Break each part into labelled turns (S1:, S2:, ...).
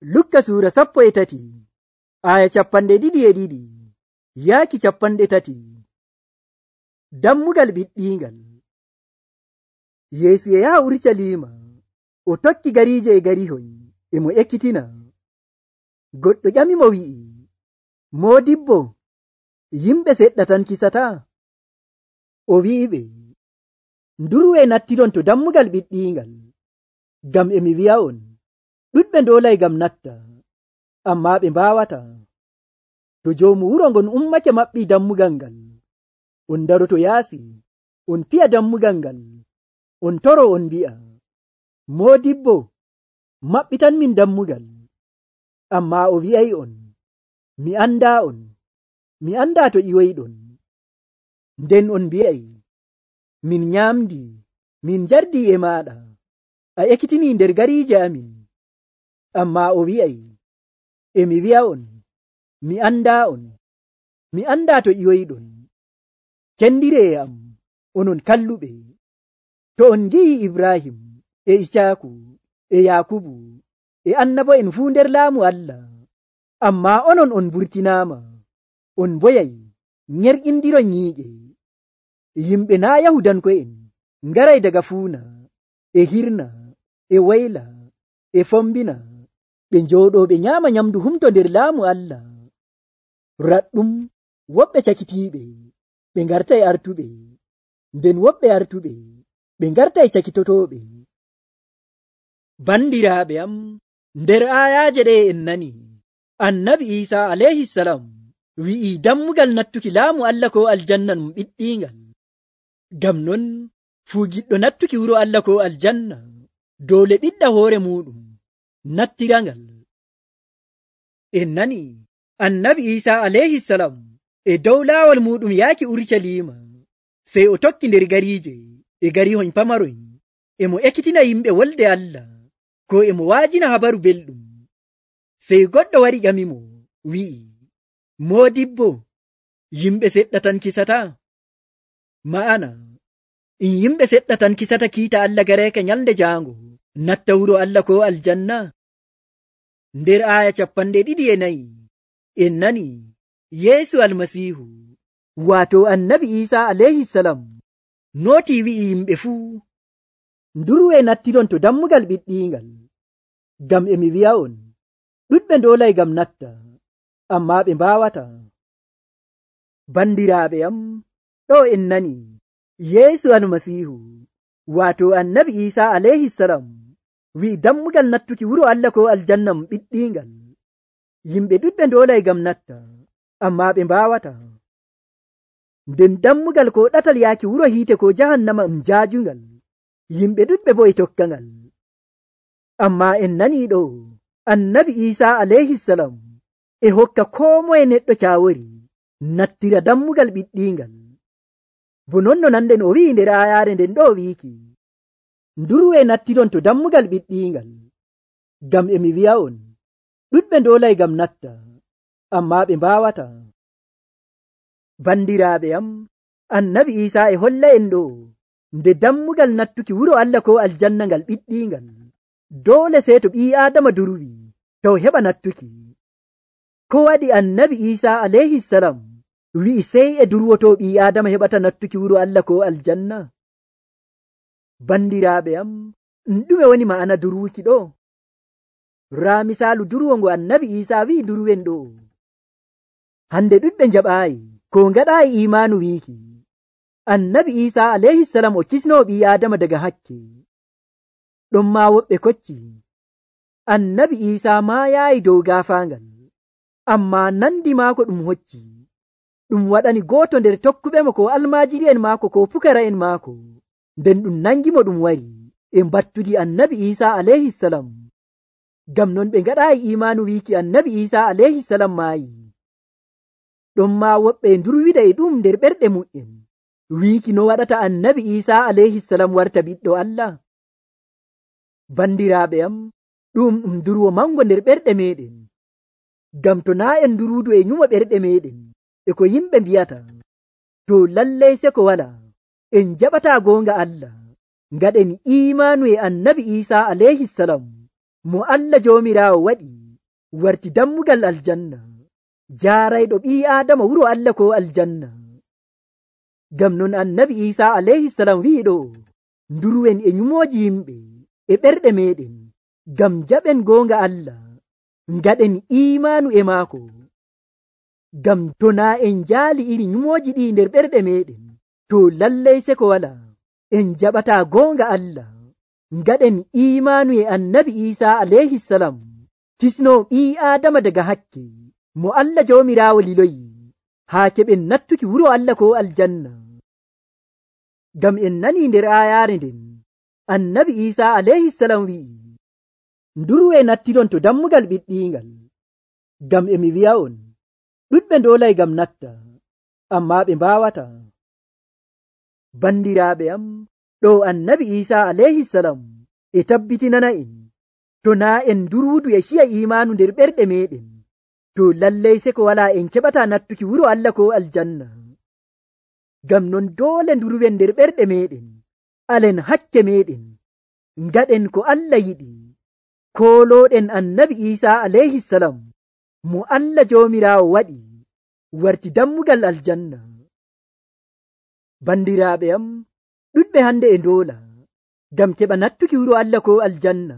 S1: Lukka suura 13 aya 22 yaaki 30. Dammugal ɓiɗɗingal. Yeesu e yaha Urucaliima o tokki gariije e garihoy e mo ekkitina. Goɗɗo ƴamimo wi'i, Moodibbo, yimɓe seɗɗa tan kisataa? O wi'iɓe, ndurwee nattiron to dammugal ɓiɗɗingal, ngam e mi wi'a'on, ɗuɗɓe ndoolay ngam natta, ammaa ɓe mbaawataa. To joomu wuro ngon ummake maɓɓii dammugal ngal, on daroto yaasi, on piya dammugal ngal, on toro on mbi'a, Moodibbo, maɓɓitanmin dammugal. Ammaa o wi'ay'on, mi andaa'on, mi andaa to ƴiwoyɗon. Nden on mbi'ay, min nyaamdi, min njardii e maaɗa, a ekkitinii nder gariije amin. Ammaa o wi'ay, e mi wi'a'on, mi andaa'on, mi andaa to ƴiwoyɗon. Cendiree am, onon kalluɓe. To on ngi'ii Ibrahim e Icaaku e Yaakubu e annabo'en fuu nder laamu Allah, ammaa onon on mburtinaama, on mboyay nyerƴindiron nyiiƴe. Yimɓe naa' Yahudanko'en ngaray daga fuuna e hirna e wayla e fombina, ɓe njooɗoo ɓe nyaama nyamdu humto nder laamu Allah. Raɗɗum woɓɓe cakitiiɓe ɓe ngartay artuɓe, nden woɓɓe artuɓe ɓe ngartay cakitotooɓe. Bandiraaɓe am, nder aayaaje ɗe en nani, Annabi Iisaa alayhisalam wi'ii dammugal nattuki laamu Allah ko aljanna ɗum ɓiɗɗingal. Ngam non fuu giɗɗo nattuki wuro Allah ko aljanna doole ɓiɗɗa hoore muɗum nattirangal. En nani Annabi Iisaa alayhisalam e dow laawol muɗum yaaki Urucaliima, sey o tokki nder gariije e garihoy pamaroy e mo ekkitina yimɓe wolde Allah, ko e mo waajina habaru belɗum. Sey goɗɗo wari ƴamimo wi'i, Moodibbo, yimɓe seɗɗa tan kisataa? Ma'ana, in yimɓe seɗɗa tan kisata kiita Allah gareeka nyalnde jaango natta wuro Allah ko aljanna? Nder aaya 24 en nani Yeesu Almasiihu, waato Annabi Iisaa alayhisalam, nootii wi'i yimɓe fuu, ndurwee nattiron to dammugal ɓiɗɗingal, ngam e mi wi'a'on, ɗuɗɓe ndoolay ngam natta, ammaa ɓe mbaawataa. Bandiraaɓe am, ɗo en nani Yeesu Almasiihu, waato Annabi Iisaa alayhisalam, wi'i dammugal nattuki wuro Allah ko aljanna ɓiɗɗingal. Yimɓe ɗuɗɓe ndoolay ngam natta, ammaa ɓe mbaawataa. Nden dammugal ko ɗatal yaaki wuro hiite ko jahannama jaajungal, yimɓe ɗuɗɓe bo e tokkangal. Ammaa en nanii ɗo Annabi Iisaa alayhisalam e hokka koo moye neɗɗo caawori nattira dammugal ɓiɗɗingal. Bo non no nanɗen o wi'i nder aayaare nden ɗo wiiki, ndurwee nattiron to dammugal ɓiɗɗingal, ngam e mi wi'a'on, ɗuɗɓe ndoolay ngam natta, ammaa ɓe mbaawataa. Bandiraaɓe am, Annabi Iisaa e holla en ɗo nde dammugal nattuki wuro Allah ko aljanna ngal ɓiɗɗingal, doole sey to ɓii Aadama durwi taw heɓa nattuki. Ko waɗi Annabi Iisaa alayhisalam wi'i sey e durwoto ɓii Aadama heɓata nattuki wuro Allah ko aljanna? Bandiraaɓe am, ɗume woni ma'ana durwuki ɗo? Raa misaalu durwo ngo Annabi Iisaa wi'i durwen ɗo. Hande ɗuɗɓe njaɓaayi ko ngaɗaayi imaanu wiiki, Annabi Iisaa alayhisalam o kisnoo ɓii Aadama daga hakke. Ɗon maa woɓɓe kocci, Annabi Iisaa maayaayi dow gaafaangal, ammaa nandi maako ɗum hocci, ɗum waɗani gooto nder tokkuɓemo ko almaajiri'en maako ko pukara'en maako, nden ɗum nangimo ɗum wari e mbattudi Annabi Iisaa alayhisalam. Ngam non ɓe ngaɗaayi imaanu wiiki Annabi Iisaa alayhisalam maayi. Ɗon maa woɓɓe ndurwida e ɗum nder ɓerɗe mu'en, wiiki no waɗata Annabi Iisaa alayhisalam warta ɓiɗɗo Allah. Bandiraaɓe am, ɗum durwo mango nder ɓerɗe meɗen, ngam to naa en nduruudu e nyumo ɓerɗe meɗen e ko yimɓe mbiyata, to lallay se ko wala en jaɓataa goonga Allah, ngaɗen imaanu e Annabi Iisaa alayhisalam, mo Allah Joomiraawo waɗi warti dammugal aljanna jaarayɗo ɓii aadama wuro Allah ko aljanna. Ngam non annabi Isa alayhi salam wi'iɗo nduruwen e nyumooji yimɓe e ɓerɗe meɗen ngam jaɓen goonga Allah ngaɗen iimanu e maako. Ngam to naa en jaali iri nyumooji ɗi nder ɓerɗe meɗen to lallay seko wala en jaɓata goonga Allah ngaɗen iimanu e annabi Isa alayhi salam tisno ɓii aadama daga hakke mo Allah jawmiraawo liloyi haa keɓen nattuki wuro Allah ko aljanna. Ngam en nani nder aayaare nden annabi Isa alayhi salam wi'i ndurwe nattiron to dammugal ɓiɗɗingal. Ngam emi wi'a'on ɗuɗɓe ndoolay ngam natta amma ɓe mbaawata. Bandiraaɓe am, ɗo annabi Isa alayhi salam e tabbitinana en to naa en durwudu e ciya iimanu nder ɓerɗe meɗen to lallay seko wala en keɓata nattuki wuro Allah ko aljanna. Ngam non doole ndurwen nder ɓerɗe meɗen alen hakke meɗen ngaɗen ko Allah yiɗi koolooɗen annabi Isa alayhi salam mo Allah jawmiraawo waɗi warti dammugal aljanna. Bandiraaɓe am, ɗuɗɓe hande e ndoola ngam keɓa nattuki wuro Allah ko aljanna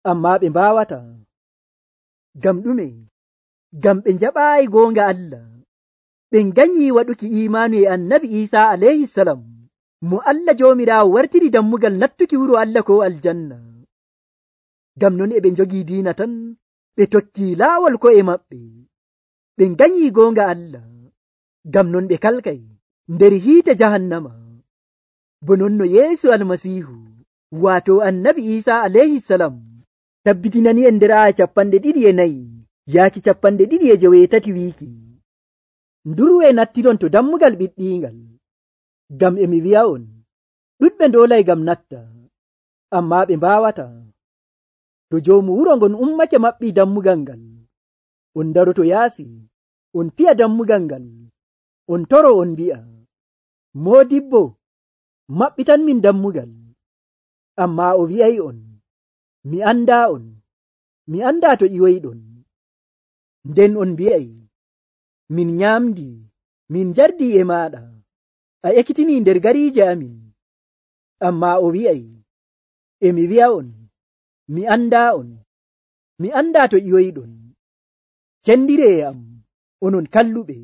S1: amma ɓe mbaawata. Ngam ɗume? Ngam ɓe njaɓaayi goonga Allah ɓe nganyi waɗuki iimanu e annabi Isa alayhi salam mo Allah jawmiraawo wartiri dammugal nattuki wuro Allah ko aljanna. Ngam non e ɓe njogii diina tan ɓe tokki laawol ko'e maɓɓe ɓe nganyi goonga Allah. Ngam non ɓe kalkay nder hiite jahannama. Bo non no Yeesu almasiihu waato annabi Isa alayhi salam tabbitinani en nder aya 24 yaaki 25 wiiki ndurwe nattiron to dammugal ɓiɗɗingal. Ngam emi wi'a'on ɗuɗɓe ndoolay ngam natta amma ɓe mbaawata. To joomu wuro ngon ummake maɓɓi dammugal ngal on daroto yaasi on piya dammugal ngal on toro on mbi'a moodibbo maɓɓitan min dammugal. Amma o wi'ay on mi anda to ƴiwoyɗon. Nden on mbi'ay min nyamdi min jardi e maɗa a ekkitini nder gariije amin. Amma o wi'ay emi wi'a'on mi anda to ƴiwoyɗon. Cendire am onon kalluɓe,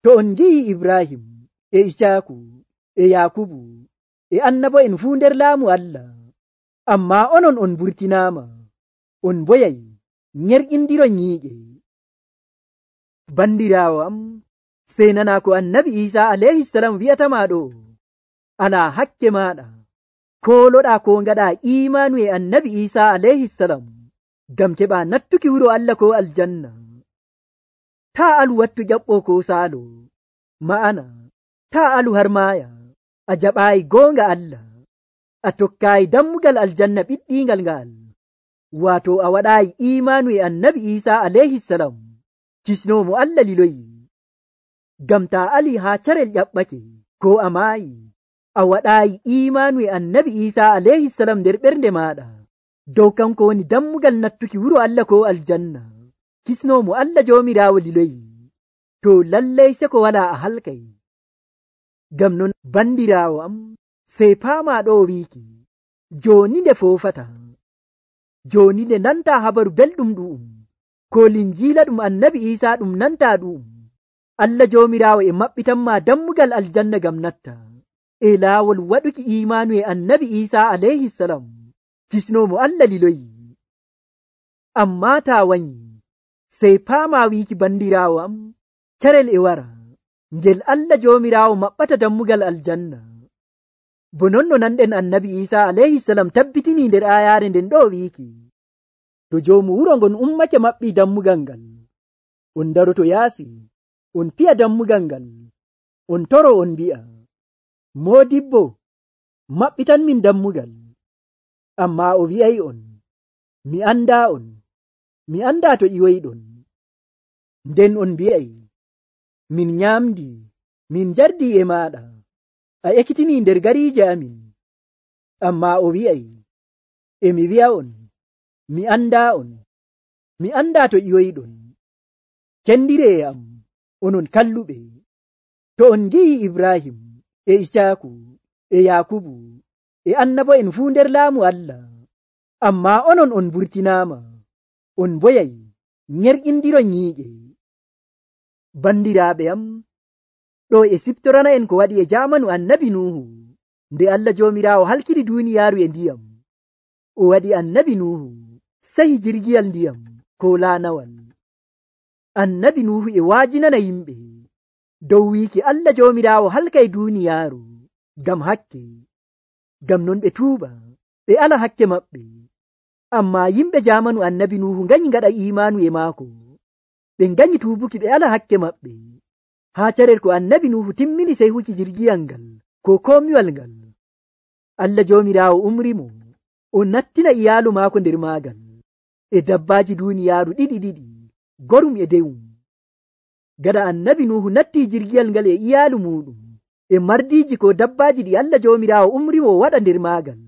S1: to on ngi'i Ibrahim e Isaaku e Yakubu e annabo'en fuu nder laamu Allah amma onon on burtinaama on boyay nyerƴindiron nyiiƴe. Bandiraawo am, sey nana ko annabi Isa alayhi salam wi'atama ɗo alaa hakke maɗa kooloɗa ko ngaɗa iimanu e annabi Isa alayhi salam ngam keɓa nattuki wuro Allah ko aljanna. Ta alu wattu ƴaɓɓo ko saalo ma'ana ta alu har maaya a jaɓaayi goonga Allah a tokkaayi dammugal aljanna ɓiɗɗingal ngal waato a waɗaayi iimanu e annabi Isa alayhi salam kisnomo Allah liloyi. Ngam ta ali haa carel ƴaɓɓake ko a maayi a waɗaayi iimanu e annabi Isa alayhi salam nder ɓernde maɗa dow kanko woni dammugal nattuki wuro Allah ko aljanna kisnomo Allah jawmiraawo liloyi to lallay seko wala a halkay. Ngam non bandiraawo am, sey paama ɗo wiiki joni nde foofata joni nde nanta habaru belɗum ɗu'um ko linjiila ɗum annabi Isa ɗum nanta ɗu'um Allah jawmiraawo e maɓɓitanma dammugal aljanna ngam natta e laawol waɗuki iimanu e annabi Isa alayhi salam kisnomo Allah liloyi. Amma ta wanyi sey paama wiiki bandiraawo am carel e wara ngel Allah jawmiraawo maɓɓata dammugal aljanna. Bo non no nanɗen annabi Isa alayhi salam tabbitini nder ayaare nden ɗo wiiki to joomu wuro ngon ummake maɓɓi dammugal ngal on daroto yaasi on piya dammugal ngal on toro on mbi'a moodibbo maɓɓitan min dammugal. Amma o wi'ay on mi anda to ƴiwoyɗon. Nden on mbi'ay min nyamdi min jardi e maɗa a ekkitini nder gariije amin. Amma o wi'ay emi wi'a'on mi anda mi anda to ƴiwoyɗon. Cendiree am, onon kalluɓe, to on ngi'i Ibrahim e Isaaku e Yakubu e annabo'en fuu nder laamu Allah, ammaa onon on burtinaama, on boyay nyerƴindiron nyiiƴe. Bandiraaɓe am, ɗo e siftorana en ko waɗi e jaamanu annabi Nuhu, nde Allah Joomiraawo halkiri duuniyaaru e ndiyam. O waɗi annabi Nuhu sahi jirgiyal ndiyam ko laanawal. Annabi Nuhu e waajinana yimɓe dow wiiki Allah Joomiraawo halkay duuniyaaru ngam hakke, ngam non ɓe tuuba ɓe ala hakke maɓɓe. Ammaa yimɓe jaamanu annabi Nuhu nganyi ngaɗa imaanu e maako, ɓe nganyi tuubuki ɓe ala hakke maɓɓe. Haa carel ko annabi Nuhu timmini sehuki jirgiyal ngal ko komiwal ngal, Allah Joomiraawo umrimo o nattina iyaalu maako nder maagal e dabbaaji duuniyaaru ɗiɗi, gorum e dewum. Gada annabi Nuhu natti jirgiyal ngal e iyaalu muɗum e mardiiji ko dabbaaji ɗi Allah Joomiraawo umrimo waɗa nder maagal,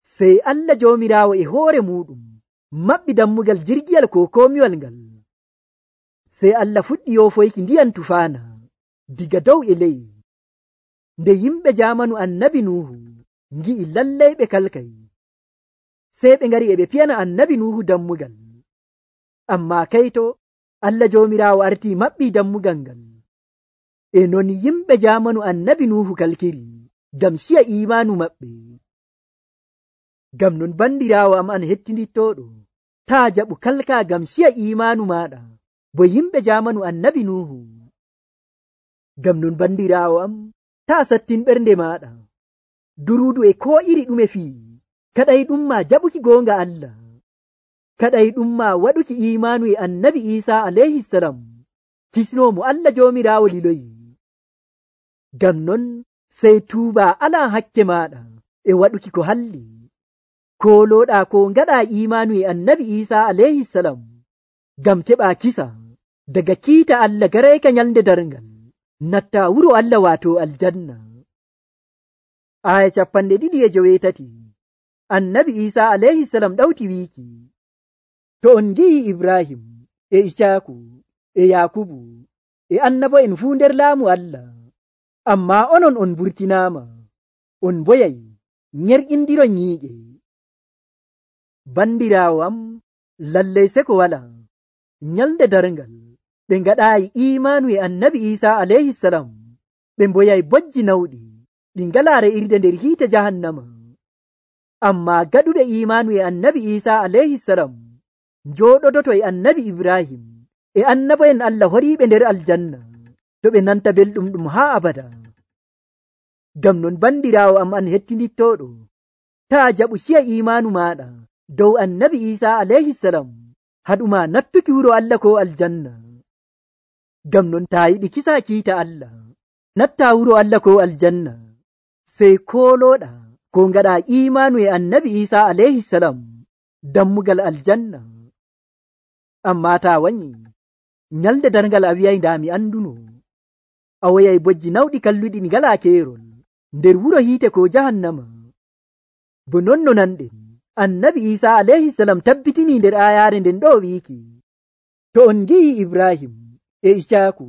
S1: sey Allah Joomiraawo e hoore muɗum maɓɓi dammugal jirgiyal ko komiwal ngal. Sey Allah fuɗɗi yoofoyki ndiyam tufaana diga dow e ley. Nde yimɓe jaamanu annabi Nuhu ngi'i lallay ɓe kalkay, sey ɓe ngari e ɓe piyana annabi Nuhu dammugal. Ammaa kayto Allah Joomiraawo artii maɓɓi dammugal ngal. E non yimɓe jaamanu annabi Nuhu kalkiri ngam ciya imaanu maɓɓe. Ngam non bandiraawo am an hettinittooɗo, taa jaɓu kalka ngam ciya imaanu maaɗa bo yimɓe jaamanu annabi Nuhu. Ngam non bandiraawo am, taa sattin ɓernde maaɗa duruudu e koo iri ɗume fii, kaɗay ɗum ma jaɓuki goonga Allah, kaɗay ɗum ma waɗuki imaanu e annabi Iisaa alayhisalam, kisnoomo Allah Joomiraawo liloyi. Ngam non sey tuuba alaa hakke maaɗa e waɗuki ko halli, koolooɗaa ko ngaɗaa imaanu e annabi Iisaa alayhisalam ngam keɓaa kisa daga kiita Allah garayka nyalnde darngal, nattaa wuro Allah waato aljanna. Aya 2:8 annabi Iisaa alayhisalam ɗawti wiiki, to on ngi'i Ibrahim e Isaaku e Yakubu e annabo'en fuu nder laamu Allah, ammaa onon on burtinaama, on boyay nyerƴindiron nyiiƴe. Bandiraawo am, lallay seko wala nyalnde darngal ɓe ngaɗaayi imaanu e annabi Iisaa alayhisalam, ɓe mboyay bojji nawɗi ɗi ngalaa re'irde nder hiite jahannama. Ammaa gaɗuɓe imaanu e annabi Iisaa alayhisalam njooɗodoto e annabi Ibrahim e annabo'en Allah horiiɓe nder aljanna, to ɓe nanta belɗum ɗum haa abada. Ngam non bandiraawo am an hettinittooɗo, taa jaɓu ciya imaanu maaɗa dow annabi Iisaa alayhisalam haɗuma nattuki wuro Allah ko aljanna. Ngam non taa yiɗi kisa kiita Allah, nattaa wuro Allah ko aljanna, sey koolooɗa ko ngaɗaa imaanu e annabi Iisaa alayhisalam dammugal aljanna. Ammaa taa wanyi nyalde darngal a wi'ay ndaa mi anduno, a woyay bojji nawɗi kalluɗi ɗi ngalaa keerol nder wuro hiite ko jahannama. Bo non no nanɗen annabi Iisaa alayhisalam tabbitinii nder aayaare nden ɗo wiiki, to on ngi'i Ibrahim e Isaaku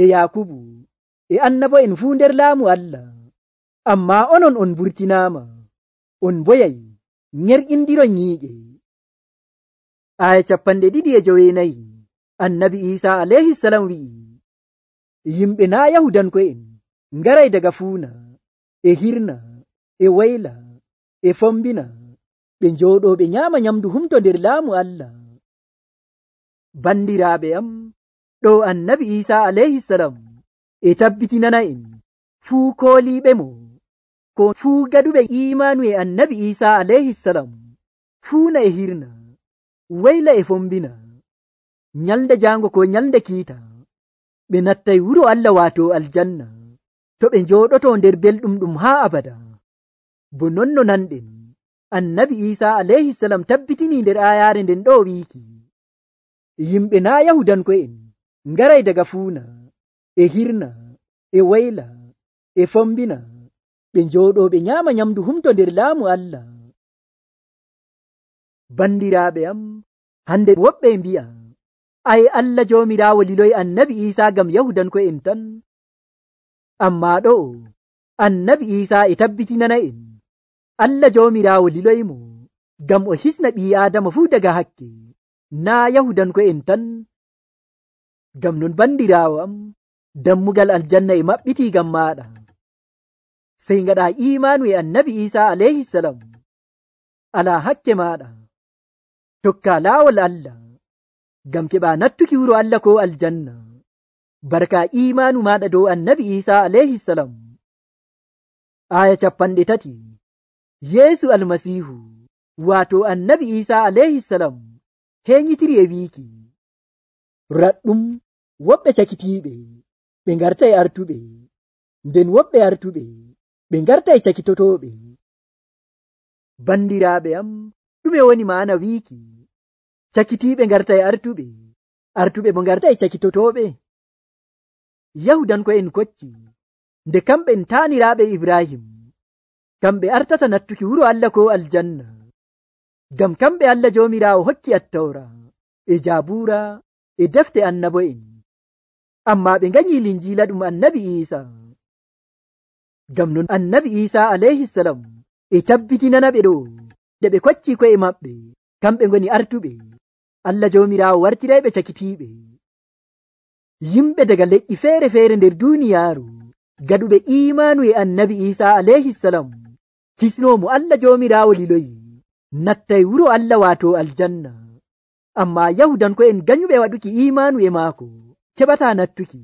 S1: e Yakubu e annabo'en fuu nder laamu Allah, ammaa onon on burtinaama, on boyay nyerƴindiron nyiiƴe. Aya 2:9 annabi Iisaa alayhisalam wi'i, yimɓe naa Yahudanko'en ngaray daga fuuna e hirna e wayla e fombina ɓe njooɗoo ɓe nyaama nyamdu humto nder laamu Allah. Bandiraaɓe am, ɗo annabi Iisaa alayhisalam e tabbitinana en fuu kooliiɓe mo ko fuu gaɗuɓe imaanu e annabi Iisaa alayhisalam fuuna e hirna, wayla e fombina, nyalde jaango ko nyalde kiita, ɓe nattay wuro Allah waato aljanna, to ɓe njooɗoto nder belɗum ɗum haa abada. Bo non no nanɗen annabi Iisaa alayhisalam tabbitinii nder aayaare nden ɗo wiiki, yimɓe naa Yahudanko'en ngaray daga fuuna e hirna e wayla e fombina ɓe njooɗoo ɓe nyaama nyamdu humto nder laamu Allah. Bandiraaɓe am, hande woɓɓe mbi'a ai Allah joomiraawo liloyi annabi Isa ngam yahudanko'en tan. Amma ɗo annabi Isa e tabbitinana en Allah joomiraawo liloyimo ngam o hisna ɓii Aadama fuu daga hakke, naa yahudanko'en tan. Ngam non bandiraawo am, dammugal aljanna e maɓɓiti ngam maaɗa. Sey ngaɗa imanu e annabi Isa alayhi salam, ala hakke maaɗa, tokka laawol Allah ngam keɓa nattuki wuro Allah ko aljanna barka imanu maɗa dow annabi Isa alayhi salam. Aya 30. Yeesu almasihu wato annabi Isa alayhi salam heñitiri e wiiki, raɗɗum woɓɓe cakitiiɓe ɓe ngarta e artuɓe, nden woɓɓe artuɓe ɓe ngarta e cakitotoɓe. Bandiraaɓe am, ɗume woni maana wiiki cakitiiɓe ngarta e artuɓe, artuɓe bo ngarta e cakitotoɓe? Yahudanko'en kocci nde kamɓe taaniraaɓe Ibrahim, kamɓe artata nattuki wuro Allah ko aljanna, ngam kamɓe Allah joomiraawo hokki attawra e Jaabura e defte annabo'en, amma ɓe nganyi linjiila ɗum annabi Isa. Ngam non annabi Isa alayhi salam e tabbitinana ɓe ɗo nde ɓe kocci ko'e maɓɓe kamɓe ngoni artuɓe, Allah joomiraawo wartirayɓe cakitiiɓe. Yimɓe daga leƴƴi feere-feere nder duuniyaaru gaɗuɓe imanu e annabi Isa alayhi salam kisnomo Allah joomiraawo liloyi nattay wuro Allah wato aljanna, amma yahudanko'en ganyuɓe waɗuki imanu e maako keɓata nattuki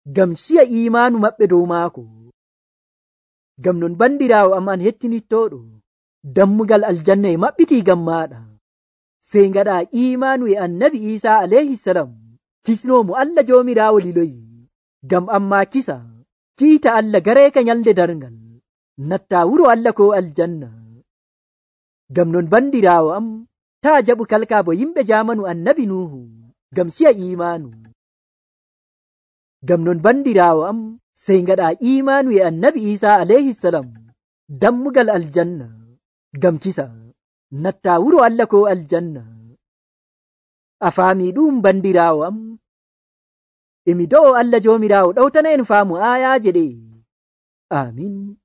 S1: ngam ciya imanu maɓɓe dow maako. Ngam non bandiraawo am an hettinittoɗo, dammugal aljanna e maɓɓiti ngam maaɗa. Sey ngaɗa imanu e annabi Isa alayhi salam kisnomo Allah joomiraawo liloyi ngam amma kisa kiita Allah gareeka nyalde darngal natta wuro Allah ko aljanna. Ngam non bandiraawo am, taa jaɓu kalka bo yimɓe jamanu annabi Nuhu ngam ciya imanu. Ngam non bandiraawo am, sey ngaɗa imanu e annabi Isa alayhi salam dammugal aljanna ngam kisa natta wuro Allah ko aljanna. A faami ɗum bandiraawo am? Emi do'o Allah joomiraawo ɗawtana en faamu ayaje ɗe. Amin.